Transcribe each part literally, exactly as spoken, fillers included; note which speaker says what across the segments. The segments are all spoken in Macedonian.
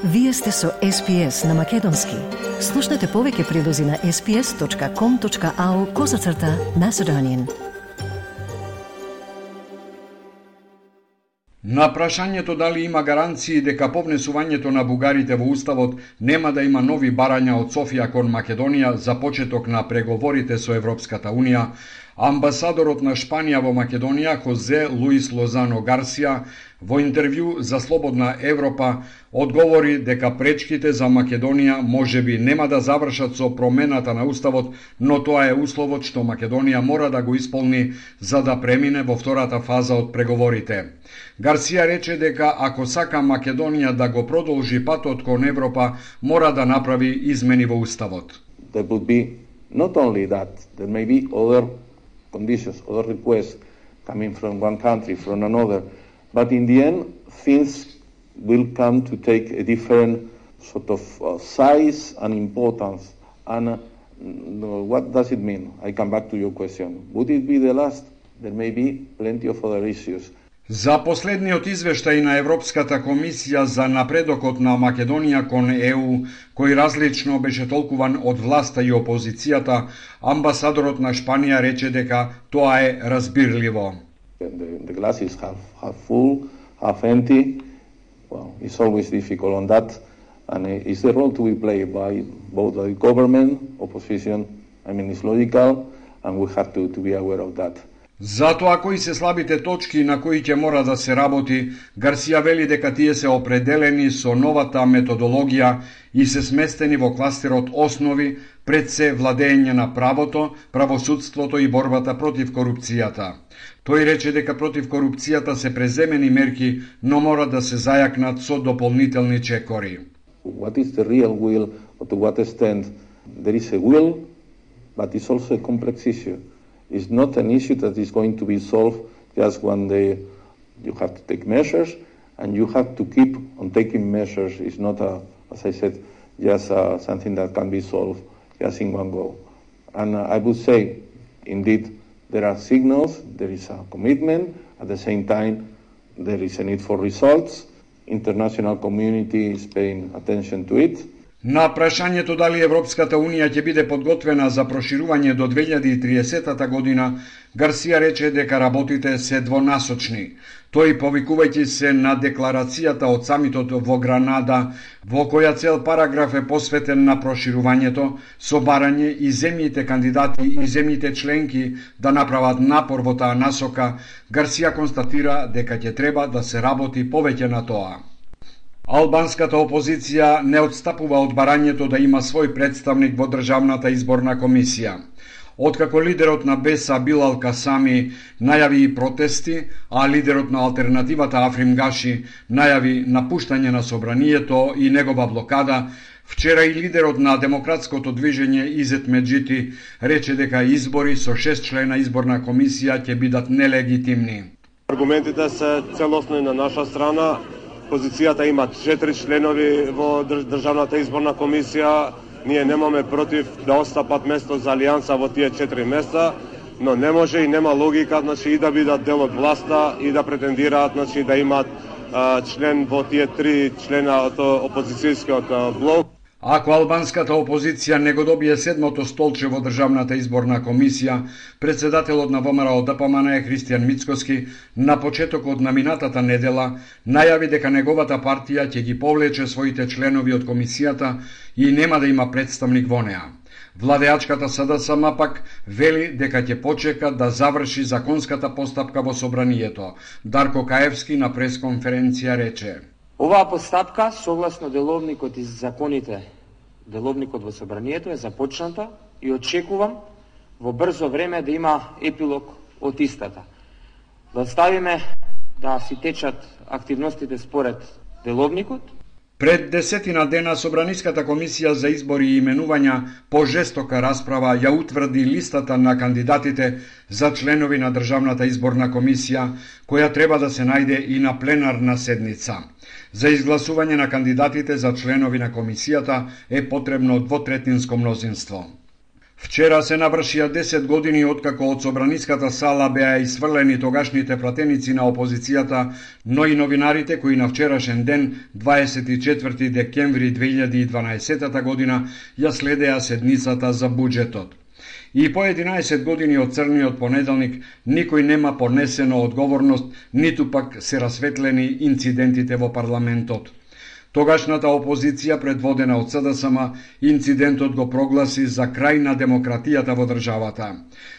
Speaker 1: Вие сте со Ес Пи Ес на Македонски. Слушнете повеќе прилози на ес пи ес точка ком точка ау козацрта Macedonian.
Speaker 2: На прашањето дали има гаранции дека по внесувањето на бугарите во Уставот нема да има нови барања од Софија кон Македонија за почеток на преговорите со Европската Унија, амбасадорот на Шпанија во Македонија, Хозе Луис Лозано Гарсија, во интервју за Слободна Европа, одговори дека пречките за Македонија можеби нема да завршат со промената на Уставот, но тоа е условот што Македонија мора да го исполни за да премине во втората фаза од преговорите. Гарсија рече дека ако сака Македонија да го продолжи патот кон Европа, мора да направи измени во Уставот.
Speaker 3: There would be not only that, there may be other conditions, other requests coming from one country, from another, but in the end, things will come to take a different sort of uh, size and importance. And uh, what does it mean? I come back to your question. Would it be the last? There may be plenty of other issues.
Speaker 2: За последниот извештај на Европската комисија за напредокот на Македонија кон Е У, кој различно беше толкуван од власта и опозицијата, амбасадорот на Шпанија рече дека тоа е разбирливо.
Speaker 3: The, the glass is half, half full, half empty. Well, it's always difficult on that, and it's the role to be played by both the government, opposition. I mean, it's logical, and we have to, to be aware of that.
Speaker 2: Затоа кои се слабите точки на кои ќе мора да се работи, Гарсија вели дека тие се определени со новата методологија и се сместени во кластерот основи, пред се владење на правото, правосудството и борбата против корупцијата. Тој рече дека против корупцијата се преземени мерки, но мора да се зајакнат со дополнителни чекори.
Speaker 3: What is the real will, or to what extent there is a will, but it's also a complex issue. It's not an issue that is going to be solved just one day. You have to take measures, and you have to keep on taking measures. It's not, a, as I said, just uh, something that can be solved just in one go. And uh, I would say, indeed, there are signals, there is a commitment. At the same time, there is a need for results. International community is paying attention to it.
Speaker 2: На прашањето дали Европската Унија ќе биде подготвена за проширување до две илјади и триесета година, Гарсија рече дека работите се двонасочни. Тој, повикувајќи се на декларацијата од самитот во Гранада, во која цел параграф е посветен на проширувањето, со барање и земјите кандидати и земјите членки да направат напор во таа насока, Гарсија констатира дека ќе треба да се работи повеќе на тоа. Албанската опозиција не отстапува од барањето да има свој представник во Државната изборна комисија. Откако лидерот на Беса Билал Касами најави и протести, а лидерот на алтернативата Африм Гаши најави напуштање на собранието и негова блокада, вчера и лидерот на демократското движење Изет Меджити рече дека избори со шест члена изборна комисија ќе бидат нелегитимни.
Speaker 4: Аргументите се целосно на наша страна. Позицијата има четири членови во Државната изборна комисија. Ние немаме против да остапат место за алијанса во тие четири места, но не може и нема логика, значи, и да бидат дел од власта и да претендираат, значи, да имаат а, член во тие три члена од опозицијскиот блок.
Speaker 2: Ако албанската опозиција не го добие седмото столче во Државната изборна комисија, председателот на Во Ем Ар О Д П М Н Христијан Мицкоски на почетокот на минатата недела најави дека неговата партија ќе ги повлече своите членови од комисијата и нема да има представник во неа. Владеачката С Д С М пак вели дека ќе почека да заврши законската постапка во собранието. Дарко Каевски на пресконференција рече:
Speaker 5: Оваа постапка, согласно деловникот и законите, деловникот во собранието е започната и очекувам во брзо време да има епилог од истата. Да оставиме да си течат активностите според деловникот.
Speaker 2: Пред десетина дена Собраниската комисија за избори и именувања по жестока расправа ја утврди листата на кандидатите за членови на Државната изборна комисија, која треба да се најде и на пленарна седница. За изгласување на кандидатите за членови на комисијата е потребно двотретинско мнозинство. Вчера се навршија десет години откако од собраниската сала беа исфрлени тогашните пратеници на опозицијата, но и новинарите кои на вчерашен ден, дваесет и четврти декември две илјади и дванаесета година, ја следеа седницата за буџетот. И по единаесет години од црниот понеделник никој нема понесено одговорност, ниту пак се расветлени инцидентите во парламентот. Тогашната опозиција, предводена од СДСМ, инцидентот го прогласи за крај на демократијата во државата.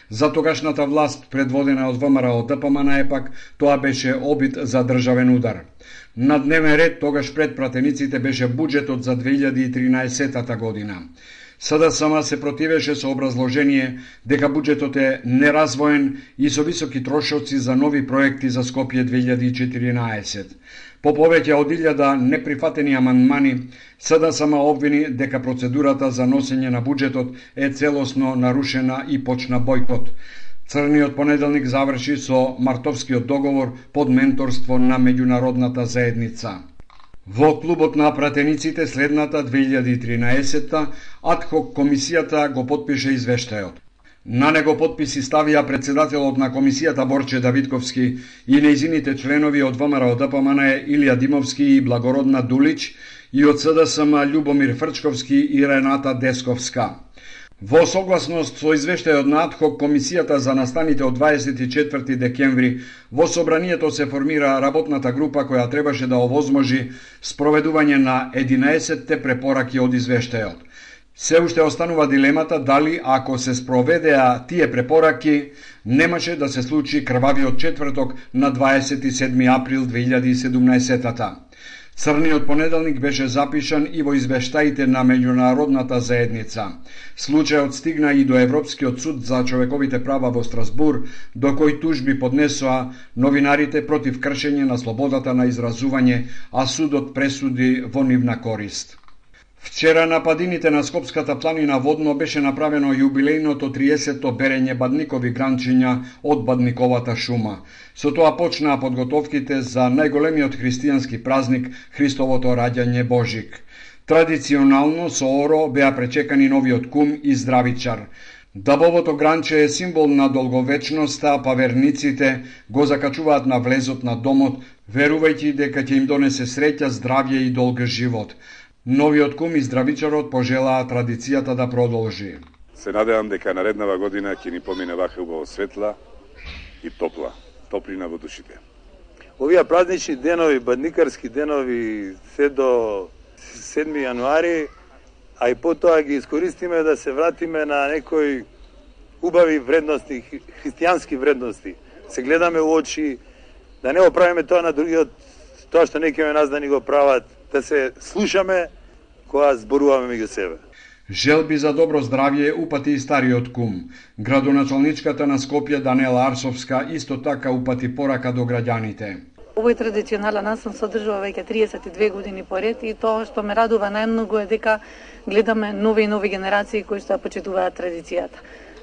Speaker 2: За тогашната власт, предводена од ВМРО ДПМН, епак, тоа беше обид за државен удар. На дневен ред тогаш пред пратениците беше буџетот за две илјади и тринаесета година. СДСМ се противеше со образложение дека буџетот е неразвоен и со високи трошоци за нови проекти за Скопје две илјади и четиринаесет. По повеќе од илјада неприфатени амандмани, СДСМ обвини дека процедурата за носење на буџетот е целосно нарушена и почна бојкот. Црниот понеделник заврши со мартовскиот договор под менторство на меѓународната заедница. Во клубот на пратениците следната две илјади и тринаесета адхок комисијата го потпише извештајот. На него потписи ставија председателот на комисијата Борче Давидковски и нејзините членови од ВМРО ДПМН Илија Димовски и Благородна Дулич и од СДСМ Љубомир Фрчковски и Рената Десковска. Во согласност со извештајот на адхок комисијата за настаните од дваесет и четврти декември, во собранието се формира работната група која требаше да овозможи спроведување на единаесетте препораки од извештајот. Се уште останува дилемата дали, ако се спроведеа тие препораки, немаше да се случи крвавиот четврток на дваесет и седми април две илјади и седумнаесета. Црниот понеделник беше запишан и во извештаите на меѓународната заедница. Случајот стигна и до Европскиот суд за човековите права во Страсбур, до кој тужби поднесоа новинарите против кршење на слободата на изразување, а судот пресуди во нивна корист. Вчера на падините на Скопската планина Водно беше направено јубилејното триесетто берење бадникови гранчиња од бадниковата шума. Со тоа почнаа подготовките за најголемиот христијански празник Христовото раѓање Божик. Традиционално со оро беа пречекани новиот кум и здравичар. Дабовото гранче е символ на долговечноста, па верниците го закачуваат на влезот на домот, верувајќи дека ќе им донесе среќа, здравје и долг живот. Новиот кум и здравичарот пожелаа традицијата да продолжи.
Speaker 6: Се надевам дека нареднава година ќе ни помине вака убаво светла и топла, топлина во душите.
Speaker 7: Овие празнични денови, бадникарски денови, се до седми јануари, а и потоа ги искористиме да се вратиме на некои убави вредности, христијански вредности. Се гледаме у очи, да не оправиме тоа на другиот, тоа што некои нас да ни го прават, да се слушаме кога зборуваме меѓу себе.
Speaker 2: Желби за добро здравје упати и стариот кум. Градоначалничката на Скопје Данела Арсовска исто така упати порака до граѓаните.
Speaker 8: Овој традиционален настан се одржува веќе триесет и две години поред и тоа што ме радува најмногу е дека гледаме нови и нови генерации кои што ја почитуваат традицијата.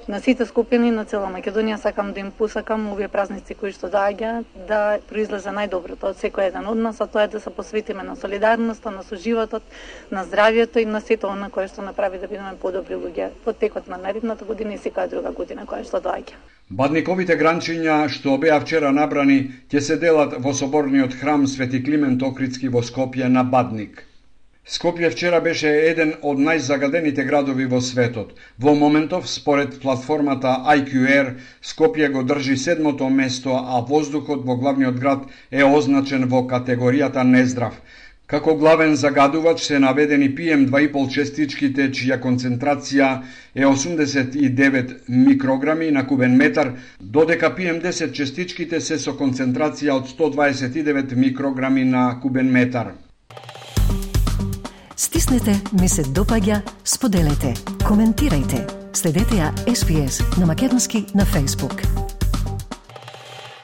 Speaker 8: На сите скопјани на цела Македонија сакам да им посакам овие празници кои што доаѓаат да произлезе најдоброто од секој еден од нас, а тоа е да се посветиме на солидарноста, на соживотот, на здравјето и на сето она кое што направи да бидеме подобри луѓе во текот на наредната година и секоја друга година која што доаѓа.
Speaker 2: Бадниковите гранчиња што беа вчера набрани ќе се делат во соборниот храм Свети Климент Охридски во Скопје на Бадник. Скопје вчера беше еден од најзагадените градови во светот. Во моментов, според платформата ай кју ар, Скопје го држи седмото место, а воздухот во главниот град е означен во категоријата нездрав. Како главен загадувач се наведени пи ем два и пол честичките, чија концентрација е осумдесет и девет микрограми на кубен метар, додека пи ем десет честичките се со концентрација од сто дваесет и девет микрограми на кубен метар.
Speaker 1: Стиснете, ми се допаѓа, споделете, коментирајте. Следете ја Ес Би Ес на македонски на Facebook.